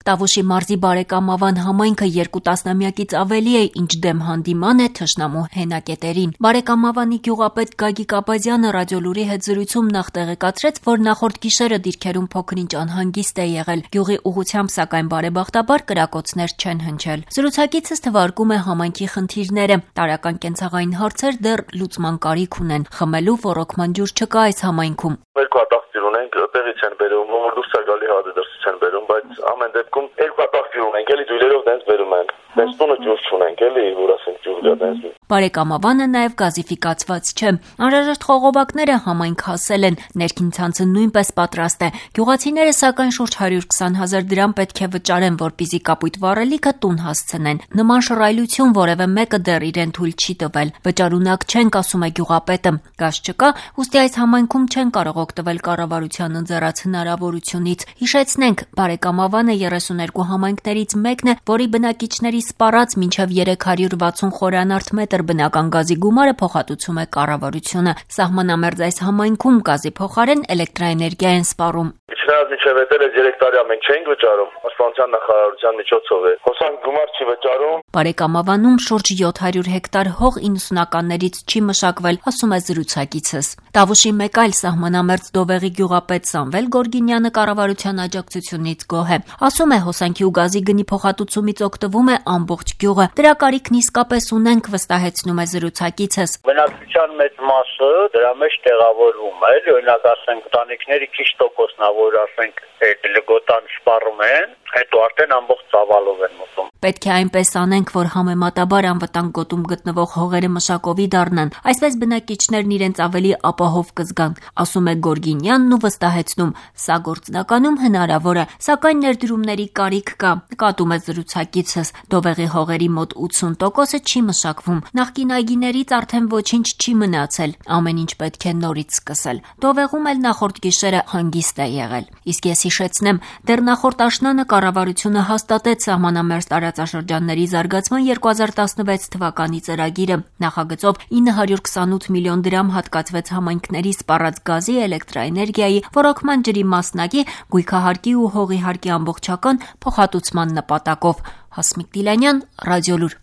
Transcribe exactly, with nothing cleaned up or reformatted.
Տավուշի մարզի Բարեկամավան համայնքը երկու տասնամյակից ավելի է, ինչ դեմ հանդիման է թշնամու հենակետերին։ Բարեկամավանի գյուղապետ Գագիկ Աբազյանը ռադիոլուրի հետ զրույցում նախ տեղեկացրեց, որ նախորդ գիշերը դիրքերում փոքր-ինչ անհանգիստ է եղել։ Գյուղի ուղղությամբ, սակայն բարեբախտաբար կրակոցներ չեն հնչել։ Զրուցակիցս թվարկում է համայնքի խնդիրները։ Տարրական կենցաղային հարցեր դեռ լուծման կարիք ունեն։ Խմելու ոռոգման ջուր չկա այս համայնքում։ Երկու հատախտիր ունենք, տեղից են բերում, ում դուրս է գալի հատը դրսից են բերում, բայց ամեն դեպքում երկու հատախտիր ունենք, էլի դույլերով դենց բերում են։ Դենց տունը ջուր չունենք, էլի, որ ասենք ջուր գա դենց։ Բարեկամավանը նաև գազիֆիկացված չէ։ Անհրաժեշտ խողովակները համայնք հասել են, ներքին ցանցը նույնպես պատրաստ է։ Գյուղացիները սակայն շուրջ հարյուր քսան հազար դրամ պետք է վճարեն, որպեսզի կապույտ վառելիքը տուն հասցնեն։ Նման շռայլություն որևէ մեկը դեռ իրեն թույլ չի տվել։ Վճարունակ չենք, ասում է գյուղապետը։ Գազ չկա, ուստի այս համայնքում չեն կարող օգտվել կառավարության ընձեռած հնարավորությունից։ Հիշեցնենք, Բարեկամավանը երեսուներկու համայնքներից մեկն է, որի բնակիչների սպառած մինչև երեք հարյուր վաթսուն խորանարդ մետր բնական գազի գումարը փոխհատուցում է կառավարությունը։ Սահմանամերձ այս համայնքում գազի փոխարեն էլեկտրաէներգիա են սպառում։ Չնայած մինչև էդ էս երեք տարի մենք չենք վճարում, պաշտպանության նախարարության միջոցով է։ Հոսանք գումար չի վճարում։ Բարեկամավանում շուրջ յոթ հարյուր հեկտար հող իննսունականներից չի մշակվել, ասում է զրուցակիցս։ Տավուշի մեկ այլ սահմանամերձ Դովեղի գյուղապետ Սամվել Գորգինյանը կառավարության աջակցությունից գոհ է։ Ասում է, հոսանքի ու գազի գնի փոխհատուցումից օգտվում է ամբողջ գյուղը։ Դրա կարիքն իսկապես ունենք, վստահեցնում է զրուցակիցս։ Բնակչության մեծ մասը դրա մեջ տեղավորվում է, օրինակ ասենք ընտանիքների քիչ տոկոսն ա, որ ասենք այդ լգոտան սպառում են, հետո արդեն ամբողջ ծավալով են մտնում։ Պետք է այնպես անենք, որ համեմատաբար անվտանգ գոտում գտնվող հողերը մշակովի դառնան, այսպես բնակիչներն իրենց ավելի ապահով կզգան, ասում է Գորգինյանն ու վստահեցնում, սա գործնականում հնարավոր է, սակայն ներդրումների կարիք կա, նկատում է զրուցակիցս։ Դովեղի հողերի մոտ ութսուն տոկոսը չի մշակվում, նախկին այգիներից արդեն ոչինչ չի մնացել, ամեն ինչ պետք է նորից սկսել։ Դովեղում էլ նախորդ գիշերը հանգիստ է եղել։ Իսկ ես հիշեցնեմ, դեռ նախորդ աշնանը կառավարությունը հաստատեց սահմանամերձ տարածաշրջանների զարգացման երկու հազար տասնվեց թվականի ծրագիրը։ Նախագծով ինը հարյուր քսանութ միլիոն դրամ հատկացվեց համայնքների սպառած գազի, էլեկտրաէներգիայի, ոռոգման ջրի մասնակի, գույքահարկի ու հողի հարկի ամբողջական փոխհատուցման նպատակով։ Հասմիկ Դիլանյան, Ռադիոլուր։